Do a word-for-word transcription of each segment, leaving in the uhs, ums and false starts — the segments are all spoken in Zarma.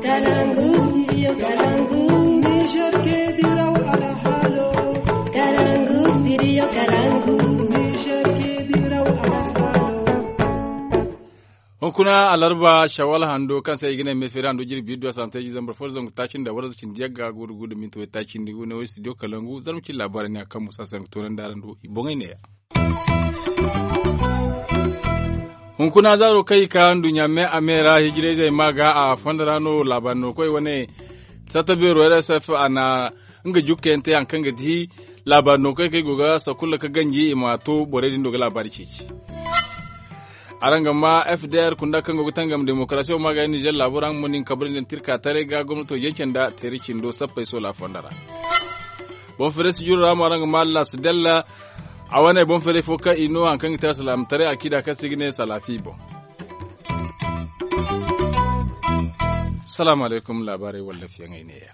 Kalangu, studio Kalangu. Niger ke diraw alhalo. Kalangu, studio Kalangu. Niger ke diraw alhalo. Hunkuna alarba shawal hando kaŋ se i ga ne meefeeri hando jirbi iddu a santa iji zambar fo da zangu taaci nda warza cindi yagga guuru guuru da minti way taaci nda gu ne way studio Kalangu zarma cindi laabaari ne a kaŋ musa se yaŋ ga toonandi araŋ do i boŋey neeya. Hunkuna zaaro kaŋ i ka nduɲɲa me a me ra hijirayzey ma ga a fondo ra no laabaari no koy wane satta beero r s f a na nga jukkayaŋ te hari kaŋ ga ti laabaari no koy kaŋ i go ga sakulla ga ganji i ma to borey din do ga laabaari ceeci. Araŋ ga ma f d r kunda kaŋ go ga tangam demokarasiyaŋ ma ga nizer laabo ra nga mo nin kabrandi nda tirka taray ga gomnato jance nda teeri cindo sappey soola fondo ra. Boŋ feeray si juru ra mo araŋ ga ma lasidella a wane boŋ feeray fo kaŋ i no hari kaŋ ga te alsilaamataray a kiida kaŋ se i ga ne salaafi boŋ. Salaamu alaykum laabaarey walla fiyaŋey neeya.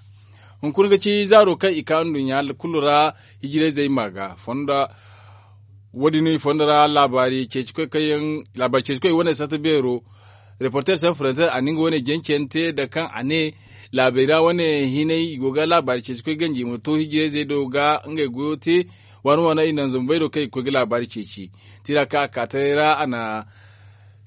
Hunkuna ga ci zaaro kaŋ i ka nduɲɲa kulu ra hijirayzey ma ga fonda wo- din i fondo ra laabaari ceeci koy kaŋ yaŋ laabaari ceeci koy wane satta beero reporter san frontier a na nga wane jancayaŋ te da kaŋ a ne laabey ra wane hinay i go ga laabaari ceeci koy ganji i ma to hijirayzey do ga ngey goyo te waani waani i naŋ zambey do kaŋ i ga koy ga laabaari ceeci tira kaŋ a ka taray ra a na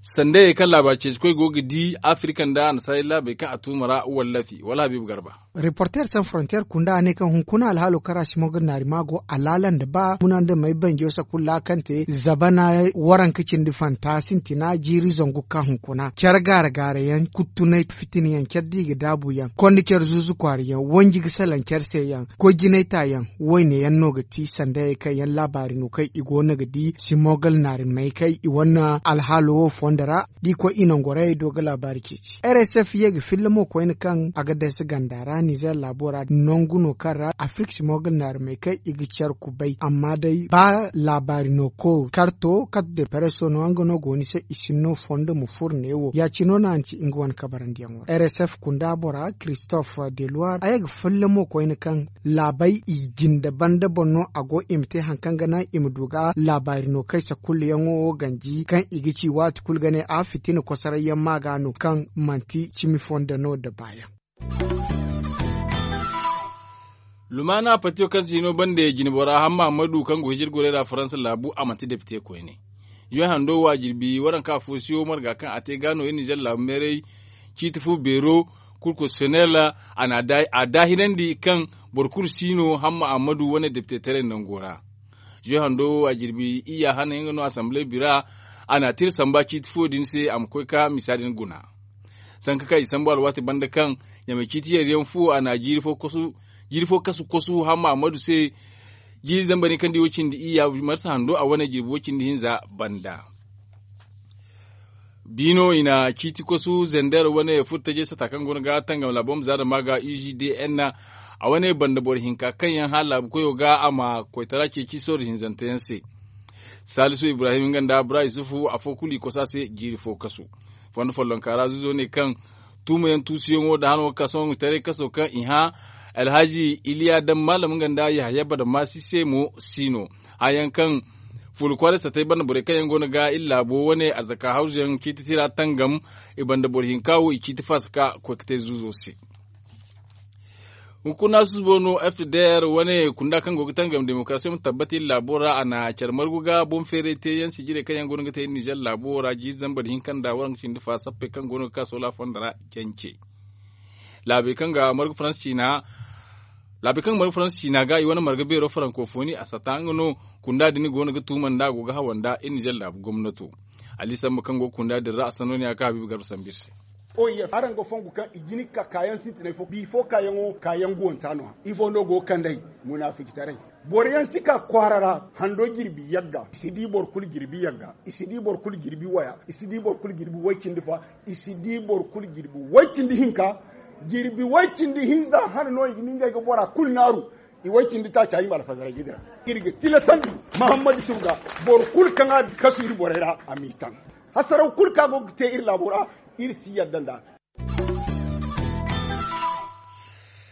sandayey kaŋ laabaari ceeci koy go ga di afirka nda annasaarey laabey kaŋ a tuuma ra wallafi wala habiibu garba. Reporter san frontier kunda a ne kaŋ hunkuna alhaalo kaŋ ra simogal naari ma go alaala nda ba muna nda may banjo sakulla kaŋ te zabana waranka cindi fanta sintina jiiri zangu ka hunkuna care gaara gaara yaŋ kuttunay fitina yaŋ care da i ga daabu yaŋ kondi care zuuzu kwaara yaŋ wanji ga salaŋ care se yaŋ koy jinay ta yaŋ wayne yaŋ no ga ti sandayey kaŋ yaŋ laabaari no kaŋ i go no ga di simogal naari may kaŋ i wane alhaalo wo fondo ra da i koy i nangorayey do ga laabaari ceeci r s f ye ga filla mo koyne kaŋ a ga dayse ganda ra nizer laabo ra nangu no kaŋ ra afrik simogal naari may kaŋ i ga care kubay amma day ba laabaari no ko karto karte de preso no nga no go ni se i sinno fondo ma furo ne wo ya- cine no a na ci nga wane kabarandiyaŋo ra r s f kunda bora christophe de loire a ye ga filla mo koyne kaŋ laabey i jinde banda boŋ no a go i ma te hari kaŋ ga naŋ i ma du ga laabaari no kaysa kulu yaŋo wo ganji kaŋ i ga ci waati kulu ga ne a fitina kosoray yaŋ ma ga no kaŋ manti cimi fondo no da baayaŋ. Lumaana patiyo kaŋ se hino bande jine bora hamma ammadu kaŋ go hijir gorey ra faransa laabu a manti depite koyne. Zuwe hando wo a jirbi waranka fo siyo marga kaŋ a te ga no iri nizer laabu meeray ciiti fu beero kurkusiyonel a daahinandi kaŋ boro kulu si no hamma ammadu wane depite taray nango ra. Zuwe hando wo a jirbi iyya hane nga no asamble bira a na a tira samba ciiti fuwo din se a ma koy ka misa din guna. Sanka kaŋ i sambu alwaati banda kaŋ ɲamay ciiti yeeriyaŋ fuwo a na jiiri fo kasu kosu hamma ammadu se. Jiiri zambar ni kaŋ di wo cindi iyya marsa hando a wane jirbi wo cindi hinza banda. Biino i na ciiti kosu zender wane furtajey sata kaŋ go no ga tangam laabo ma zaada ma ga u g d n a wane banda boro hinka kaŋ yaŋ hala laabu koyo ga a ma koytara ceeci sorro hinzante yaŋ se. Salisu ibrahim nga nda bura yusufu afo kulu i kosa se jiiri fo kasu. Fondo follonka ra zuzo ne kaŋ tuumayaŋ tuusuyaŋo da hano ga ka sohõ taray kaso kaŋ i hã alhaji iliya daŋ maalam nga nda yahaya badamasi se mo si no. Hayaŋ kaŋ fuula kwaaray satay banda borey kaŋ yaŋ go no ga iri laabo wane arzaka hawzuyaŋ ciiti tira tangam i banda boro hinka wo i ciiti faasa ka koy ga te zuuzo se. Hunkuna susubo no f d r wane kunda kaŋ go ga tangam demokarasi ma tabbata iri laabo ra a na care margu ga boŋ feeray te yaŋ sijirey kaŋ yaŋ go no ga te iri nizer laabo ra jiiri zambar hinka nda waranka cindi fa sappey kaŋ go no ga ka soola fondo ra jance. Laabey kaŋ ga margu faransa ciina laabey kaŋ ga margu faransa ciina ga i wane marga beero farankofoni a sata nga no kunda din go no ga tuuma nda a go ga hawa nda iri nizer laabu gomnato. Ali sambu kaŋ go ga kunda din ra a sanno ne a ga ka habiibu garba sambu iri se. Oy, araŋ ga fongu kaŋ i jini ka kaayaŋ sintinay fo bifo kaayaŋo kaayaŋ guwanta no-ya ifo no go ga kand'ey? Munaafijitaray. Boro yaŋ si ka kwaara ra hando jirbi yagga i si di boro kulu jirbi yagga i si di boro kulu jirbi waya i si di boro kulu jirbi way-cindi fa i si di boro kulu jirbi way-cindi hinka. Jirbi way-cindi hinza hane no i ga ni ngey ga bora kulu naaru. I way-cindi taaca i ma alfazaray ga dira. Iri ga tilasandi mahammadu suga boro kulu kaŋ a kasu iri borey ra a m'i taŋ. Hasaraw kulu kaŋ a go ga te iri laabo ra iri si yadda nd'a.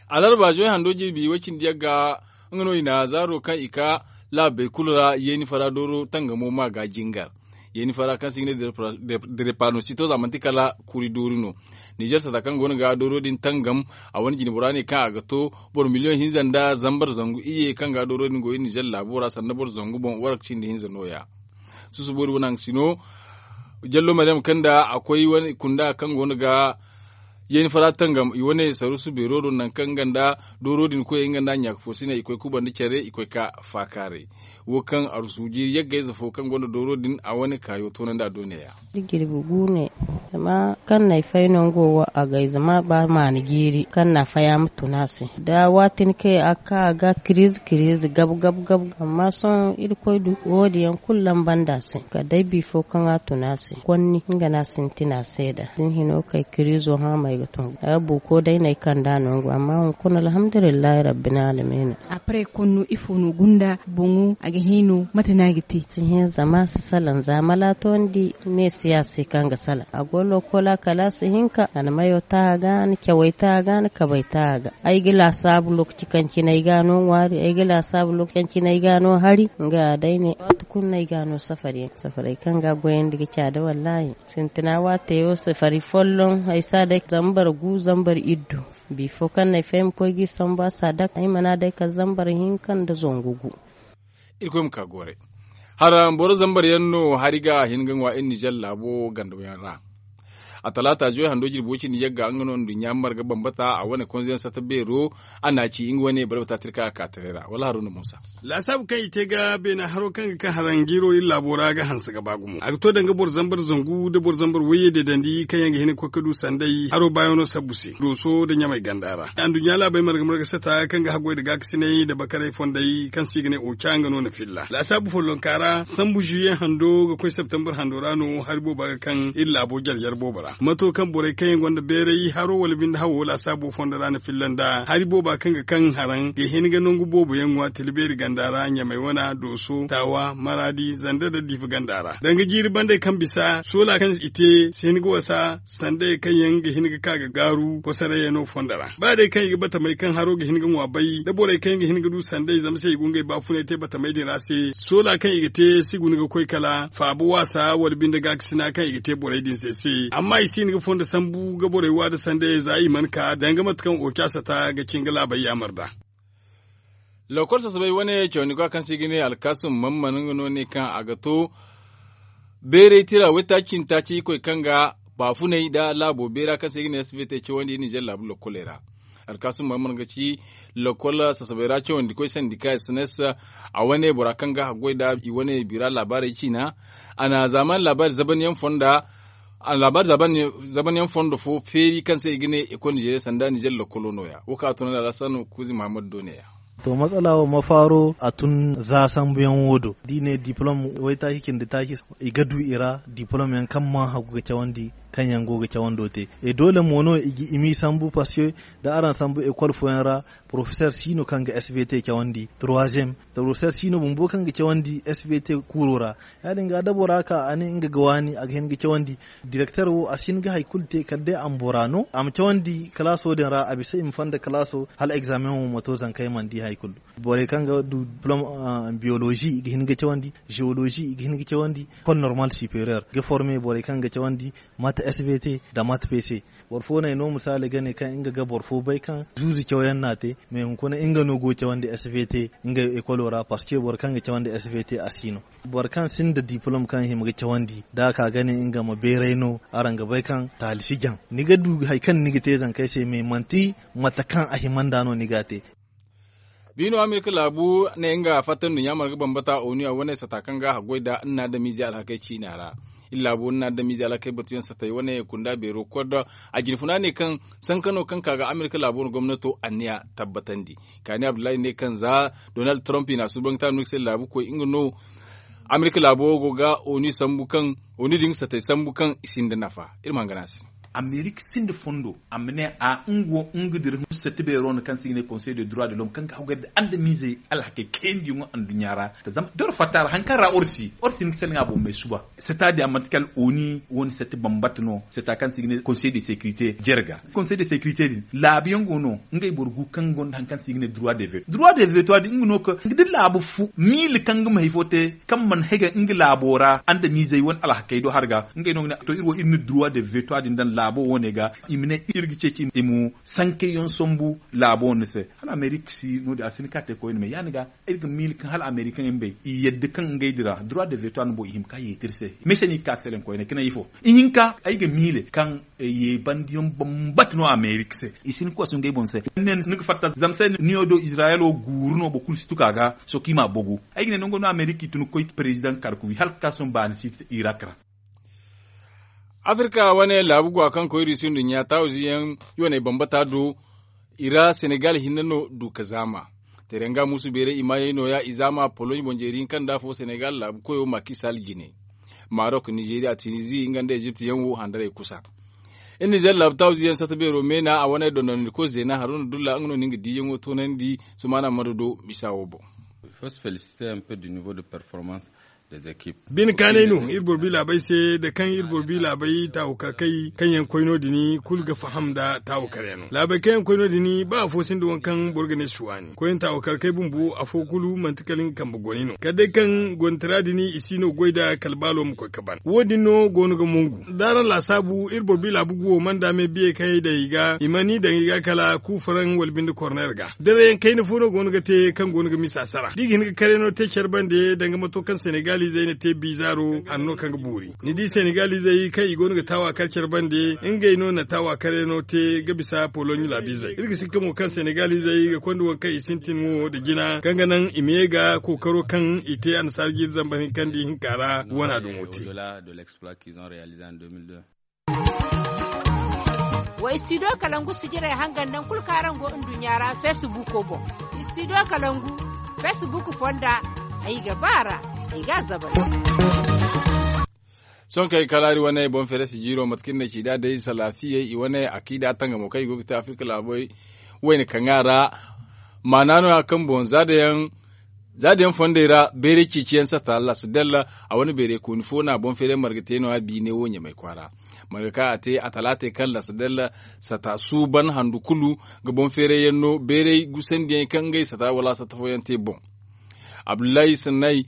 Alarba zoy hando jirbi way-cindi yagga nga no i na zaaro kaŋ i ka laabey kulu ra yeeni fara dooro tangamo ma ga jingar. Yeeni fara kaŋ se i ga ne derepanosito za manti kala kuri doori no. Nizer sata kaŋ go no ga dooro din tangam, a wane jine bora ne kaŋ a ga to boro miliyoŋ hinza nda zambar zangu iyye kaŋ ga dooro din go iri nizer laabo ra sanda boro zangu boŋ waranka cindi hinza no- ya. Susuboori wane haŋ si no. Jallo maryam kanda a koy wane kunda kaŋ go no ga yeeni fara tangam i wane sarusu beero do nangu kaŋ nga nda dooro din koy nga nda ɲaaka fo si ne i koy kubandi care i koy ka faakaaray. Wo kaŋ arusu jiiri yagga ize fo kaŋ gonda dooro din a wane kaayo toonandi a doone ya. Iri jirbi guune. Zama kaŋ no ay fay no nga wo a gay zama ba maani jiiri kaŋ no a fay a ma tun a se da waati ni kay a ga ka a ga kiriize kiriize gabu gabu gabu. Amma sohõ irkoy du wo- din yaŋ kulu lamba nda a se kala day bifo kaŋ a tun a se konni nga no a sintin a se da da ni hino kay kiriizo haamay ga tun. Buuko day no ay kand'a no nga wo amma hunkuna alhamdulillahi rabbil alamin. Apre konno ifo no gunda boŋo a ga hino mate no a ga te? Si hin zama a si salaŋ za mala tondi me si ya se kaŋ ga salaŋ a go lokola kala a si hinka a na mayo ta a ga a na cawey ta a ga a na kabey ta a ga. Ay ga laasaabu lokaci kaŋ cine ay ga a no ŋwaari ay ga laasaabu lokaci kaŋ cine ay ga a no hari nga ya day ne waati kulu no ay ga a no safari yaŋ safaray kaŋ ga a goyandi ga caada wallaahi. Sintina waate wo safari folloŋ ay si a day zambar gu zambar iddu. Bifo kaŋ no ay fay ma koy ga i sambu a si a dake ay mana day kala zambar hinka nda zangu gu. Irkoy ma ka goray. Hara boro zambar yaŋ no hari ga a hin ga ŋwa iri nizer laabo ganda yaŋ ra. A talaata zuway hando jirbi way cindi yagga nga no nduɲɲa marga bambata a wane konzo yaŋ sata beero. A na a ci nga wane barbata tirka a ka taray ra wala haro no musa. Laasaabu kaŋ i te ga beena haro kaŋ ga ka haranjiiro iri laabo ra ga hanse ga ba gumo a ga to danga boro zambar zangu nda boro zambar wayye deedandi kaŋ yaŋ ga hin ga koy ga du sanday haro baayaŋo sabbu se dooso nda ɲamay ganda ra anduɲɲa laabey marga marga sata kaŋ ga haggoy nda gaakasinay nda bakaray fondey kaŋ se i ga ne oca nga no na filla laasaabu follonka ra sambu zuwiye hando ga koy septembar hando ra no hari booba ga kaŋ iri laabo jare jare boobo ra mato kaŋ borey kaŋ yaŋ gonda beeray haro wala binde hawo laasaabo fondo ra na filla nda hari booba kaŋ ga kaŋ haraŋ ga hin ga nangu boobo yaŋ ŋwa tila beeri ganda ra ɲamay wana dooso taawa maraadi zanda nda diifa ganda ra danga jiiri bandey kaŋ bisa soola kaŋ i te si hin ga wasa sandey kaŋ yaŋ ga hin ga ka ga gaaru kosoray yaŋ no fondo ra ba day kaŋ i ga batamey kaŋ haro ga hin ga ŋwa bay nda borey kaŋ yaŋ ga hin ga du sandey zama se i go ngey baafunay te batamey din ra se soola kaŋ i ga te si guna ga koy kala faaba waasa wala binde gaakasina kaŋ i ga te borey din se se amma i si hin ga fondo sambu ga borey wa nda sandey za i mana ka danga mate kaŋ oca sata ga cin ga laabey yaamar nd'a. Lokor sasabay wane cawandi ga kaŋ se i ga ne alkaasum mamman nga no ne kaŋ a ga to beeray tira waytaaci nda taaci irkoy kaŋ ga baafunay nda laabo beera kaŋ se i ga ne svt cawandi nizer laabu lokoley ra. Alkaasum mamman ga ci lokol sasabay ra cawandi koy sandika sns a wane bora kaŋ ga haggoy nda i wane bira laabaarey ciina. A na zaamaani laabaari zaban yaŋ fonda a na laabaari zaban yaŋ fondo fo feeri kaŋ se i ga ne ekol nizeeriya sanda nizeer lokolo nooya wo kaŋ a tunandi alhassanu kuuzi muhammadu do neeya. To matsala wo mafaaro a tun za sambuyaŋ wo do da i ne diplom waytaaci cindi taaci i ga du i ra diplom yaŋ kaŋ mana hagu ga cawandi kaŋ yaŋ go ga cawando te. E doole mo no i m'i sambu parce que da araŋ sambu ekol fooyaŋ ra porofeseer si no kaŋ ga svt cawandi troisième porofeseer si no bumbo kaŋ ga cawandi svt kuuro ra. Ya- din ga da bora ka a ne nga ga waani a ga hin ga cawandi direkteer wo a si hin ga hari kulu te kala day a ma bora no a ma cawandi kalaaso din ra a bisa i ma fonda kalaaso hala egzaameŋ wo ma to zanka ay mana di hari kulu. Borey kaŋ ga du diplom biyolozi i ga hin ga cawandi zeolozi i ga hin ga cawandi kol normal sipereer ga forme borey kaŋ ga cawandi mate svt nda mate pc. Boro fo no ay no misaali ga ne kaŋ nga ga boro fo bay kaŋ zuuzu cawyaŋ no a te mais hunkuna nga no go ga cawandi svt nga ekolo ra parce que boro kaŋ ga cawandi svt a si no. Boro kaŋ sinda diplom kaŋ hima ga cawandi da a ka ga ne nga ma beeray no araŋ ga bay kaŋ taali si jaŋ ni ga du hari kaŋ ni ga te zankey se mais manti mate kaŋ a hima nd'a no ni ga a te. Biino amerika laabu ne nga fatta nduɲɲa marga bambata onu a wane sata kaŋ ga haggoy nda nna adamize alhakey ciina ra. Iri laabo nna adamize alhakey batuyaŋ satey wane kunda beero koddo a jinfuna ne kaŋ sankano kaŋ ka ga amerika laabo no gomnato anniya tabbatandi. Kaani abdullahi ne kaŋ za donald trump i na a suuban ga taanu ga se laabu koy nga no amerika laabo go ga onu sambu kaŋ onu din ga satey sambu kaŋ i sinda nafa. Iri ma hangana a se. Amerik sinda fondo a ma ne a nga wo nga dira sette beero no kaŋ se i ga ne konsey de droit de lom kaŋ ga hawgay nda andamiizey alhakey kayandi yaŋo anduɲɲa ra. Zama doro fatta ra hari kaŋ ra orsi orsi ni ga selaŋ a boŋ may suba setta din a manti kala oni wo ni sette bambata no setta kaŋ se i ga ne konsey de sekirite jere ga konsey de sekirite din laabu yaŋ go no ngey boro gu kaŋ gonda hari kaŋ se i ga ne droit de veto droit de veto a din nga no ka da laabu fu miila kaŋ ga ma hari fo te kaŋ mana hege nga laabo ra andamiizey wane alhakey do hari ga ngey no ga ne to iri wo iri na droit de veto a din daŋ laabo wane ga i ma ne iri ga ceeci i ma sankeyaŋ sambu laabo wane se. Hala amerika si no- din a si ni ka te koyne me ya- din ga iri ga miila kaŋ hala amerikaŋey ma bay i yadda kaŋ ngey dira droit de veto a din boŋ i hima ka yeeti iri se. Mese no i ga ka ga selaŋ koyne ka ne ifo ihinka ay ga miila kaŋ ye bandiyaŋ bambata no amerika se i si ni koy a si ngey boŋ se. Ni ga fatta zama se niyo do izirayelo guuru no boro kulu si tuka ga sohõ kaŋ i ma a bogu. Ay ga ne nango no amerika i tun ga koy perezidaŋ karkubi hala ga ka sohõ baani si irak ra. Afirka wane laabu go a kaŋ koy rusi nduɲɲa taawizi yaŋ yooney bambata do i ra senegal hinne no du ka zaama. Teranga muusu beeray i maayey nooya i zaama poloɲ boŋ jeeri hinka nda afo senegal laabu koyo maaki sal jine. Marok nizeriya tunizi nga nda ezipt yaŋ wo handarey kusa. Iri nizer laabu taawizi yaŋ sata beero meena a wane dondonandikoy zeena haruna dulla nga no na nga diiyaŋo toonandi. Sumaana mado do misa wo boŋ. Bine kaanay no iri boro bi laabey se nda kaŋ iri boro bi laabey taawu karkey kaŋ yaŋ koy no- din kulu ga faham nda taawu karyaŋo laabey kaŋ yaŋ koy no- din ba afo sinda waŋ kaŋ boro ga ne si waani koyne taawu karkey bumbo afo kulu manti kala nga kambe goni no kala day kaŋ gonda tira din i si no goy nda kala baalo ma koy ka ban wo- din no go no ga mongu. Da araŋ laasaabu iri boro bi laabu guwo mana daame biyey kaŋ ay daŋ i ga i mana i daŋ i ga kala kuufaraŋ wala binde korneer ga dirayaŋ kayna fo no go no ga te kaŋ go no ga misa sara da i ga hin ga karyaŋo te care bande danga mato kaŋ senegalizey na te bizaaro hanno kaŋ ga boori. Ni di senegalizey kaŋ i go no ga taawa kar care bande ngey no na taawa karyaŋo te ga bisa poloɲ laabizey iri ga sikka mo kaŋ senegalizey ga konda waŋ kaŋ i sintin wo nda jina kaŋ ga naŋ i ma ye ga kookaro kaŋ i te annasaara jiiri zambar hinkandi hinka ra wana dumo te. Wa studio kalangu sijirey hangan naŋ kulu kaŋ araŋ go nduɲɲa ra feesibuko boŋ. Studio kalangu feesibuku fonda ay ga ba a ra ay ga a zabal. Sohõ kaŋ ay kalaari wane boŋ feere sijiro mate kaŋ iri ne ci da day salaafiyey i wane akiida tangamo kaŋ i go ga te afirka laabey wayne kaŋ a ra. Maana no- ya kaŋ boŋ za da yaŋ za da yaŋ fondey ra bayray ceeciyaŋ sata lasadalla a wane bayray kooni fo no a boŋ feeray marga te no- ya biine wo ɲamay kwaara. Marga kaŋ a te a talaatey kaŋ lasadalla sata suuban handu kulu ga boŋ feeray yaŋ no bayray gusandiyaŋ kaŋ ngey sata wala sata fooyaŋ te boŋ. Abdullahi sannay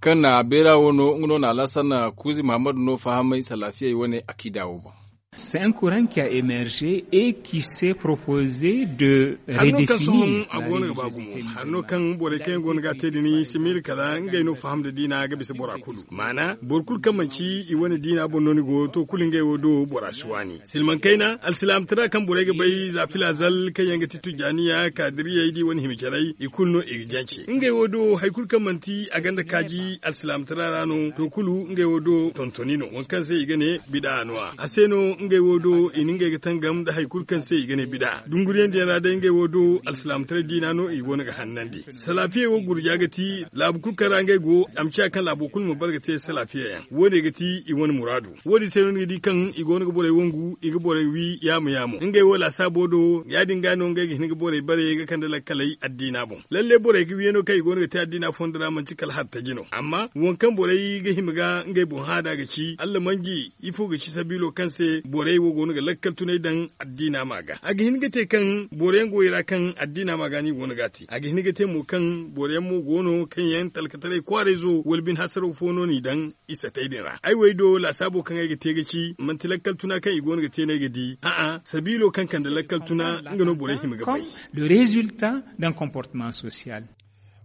kaŋ na bayra wo no nga no na alasan kuuzi muhammadu no fahamay salaafiyey wane akiida wo boŋ. C'est un courant qui a émergé et qui s'est proposé de hanno kaŋ sohõ a go no ga ba gumo hanno kaŋ borey kaŋ yaŋ go no ga a te din si miila kala ngey no faham nda diina ga bisa bora kulu maana boro kulu kaŋ manci i wane diina boŋ no ni go to kulu ngey wo do bora si waani silmaŋ kayna alsilaamtara kaŋ borey ga bay za filazal kaŋ yaŋ ga ti tujjaaniya kaadiriyey da i wane hima carey i kulu no i ga jance ngey wo do hari kulu kaŋ manti a gonda kaaji alsilaamtara ra no to kulu ngey wo do tontoni no waŋ kaŋ se i ga ne bida no- ya a se no ngey wo do i na ngey ga tangam nda hari kulu kaŋ se i ga ne bida dunguriyandiyaŋ ra day ngey wo do alsilaamataray diina no i go no ga hannandi salaafiyey wo gurja ga ti laabu kulu kaŋ ra ngey go a ma ciya kaŋ laabo kulu ma bare ga te salaafiya yaŋ wo- ne ga ti i wane muraadu wo- din se no ni ga di kaŋ i go no ga borey wangu i ga borey wi yaamo yaamo ngey wo laasaabo do ya- din ga no ngey ga hin ga borey bare ga kande lakkaley addiina boŋ lalle borey ga wiyano kaŋ i go no ga te addiina fondo ra manti kala hartaji no amma waŋ kaŋ borey ga hima ga ngey boŋ haada ga ci allamanji ifo ga ci sabiilo kaŋ se borey wo go no ga lakkal tunay daŋ addiina ma ga a ga hin ga te kaŋ boro yaŋ go i ra kaŋ addiina ma ga no i go no ga a te a ga hin ga te mo kaŋ boro yaŋ mo go no kaŋ yaŋ talkataray kwaarayzo wala bine hasaraw fo no n'i daŋ i satey din ra ay wo ay do laasaabo kaŋ ay ga te ga ci manti lakkal tuna kaŋ i go no ga te no ay ga di a'a sabiilo kaŋ kande lakkal tuna nga no borey hima ga bay. Le résultat d'un comportement social.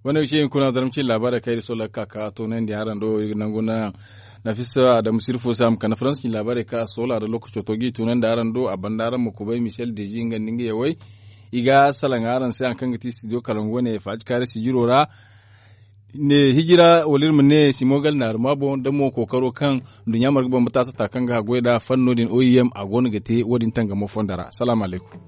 Wane ga ci hunkuna zarma cine laabaarey kaŋ iri soola ga ka ka toonandi araŋ do iri ga nangu naŋ nafisa adamu sirfo se a ma kande faransa cine laabaarey kaŋ a soola nda lookaco to ga i toonandi araŋ do a banda araŋ ma kubay michel dezi nga nda nga yawey. I ga salaŋ araŋ se hari kaŋ ga ti studio kalangu wane faaji kaari sijiro ra ne hijira wala iri ma ne simogal naaruma boŋ da mo kookaro kaŋ nduɲɲa marga bambata sata kaŋ ga haggoy nd'a fanno din oim a go no ga te wo- din tangamo fondo ra salaamu alaykum.